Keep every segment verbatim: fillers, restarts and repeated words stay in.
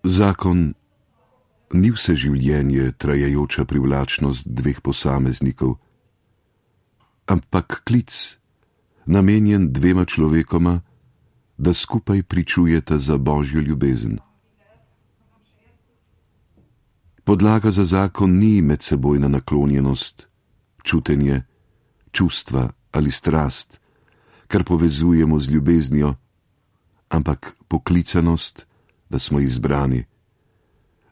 Zakon ni vse življenje trajajoča privlačnost dveh posameznikov, ampak klic, namenjen dvema človekoma, da skupaj pričujeta za Božjo ljubezen. Podlaga za zakon ni medsebojna naklonjenost, čutenje, čustva ali strast, kar povezujemo z ljubeznijo, ampak poklicanost, da smo izbrani,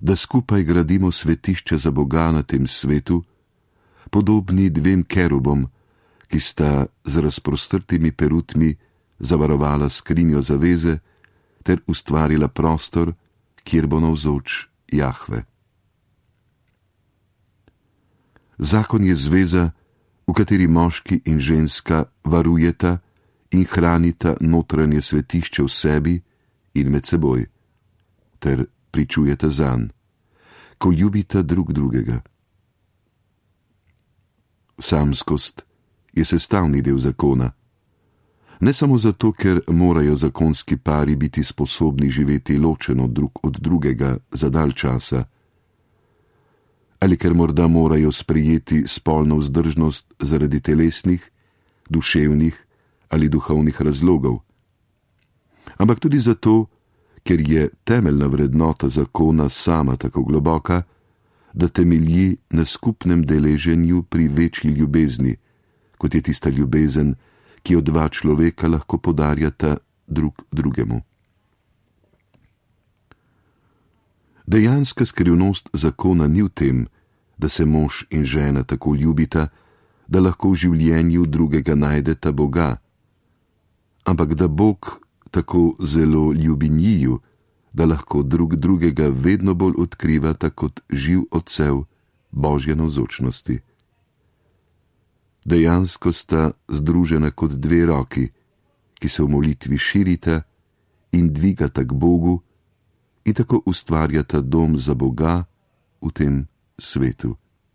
da skupaj gradimo svetišče za Boga na tem svetu, podobni dvem kerubom, ki sta z razprostrtimi perutmi zavarovala skrinjo zaveze ter ustvarila prostor, kjer bo navzoč Jahve. Zakon je zveza, v kateri moški in ženska varujeta in hranita notranje svetišče v sebi in med seboj, ter pričujeta zanj, ko ljubita drug drugega. Samskost je sestavni del zakona, ne samo zato, ker morajo zakonski pari biti sposobni živeti ločeno drug od drugega za dalj časa, ali ker morda morajo sprejeti spolno vzdržnost zaradi telesnih, duševnih ali duhovnih razlogov, ampak tudi zato, ker je temeljna vrednota zakona sama tako globoka, da temelji na skupnem deleženju pri večji ljubezni, kot je tista ljubezen, ki jo dva človeka lahko podarjata drug drugemu. Dejanska skrivnost zakona ni v tem, da se mož in žena tako ljubita, da lahko v življenju drugega najdeta Boga, ampak da Bog tako zelo ljubi njiju, da lahko drug drugega vedno bolj odkrivata kot živ odsev Božje navzočnosti. Dejansko sta združena kot dve roki, ki se v molitvi širita in dvigata k Bogu in tako ustvarjata dom za Boga v tem svetu.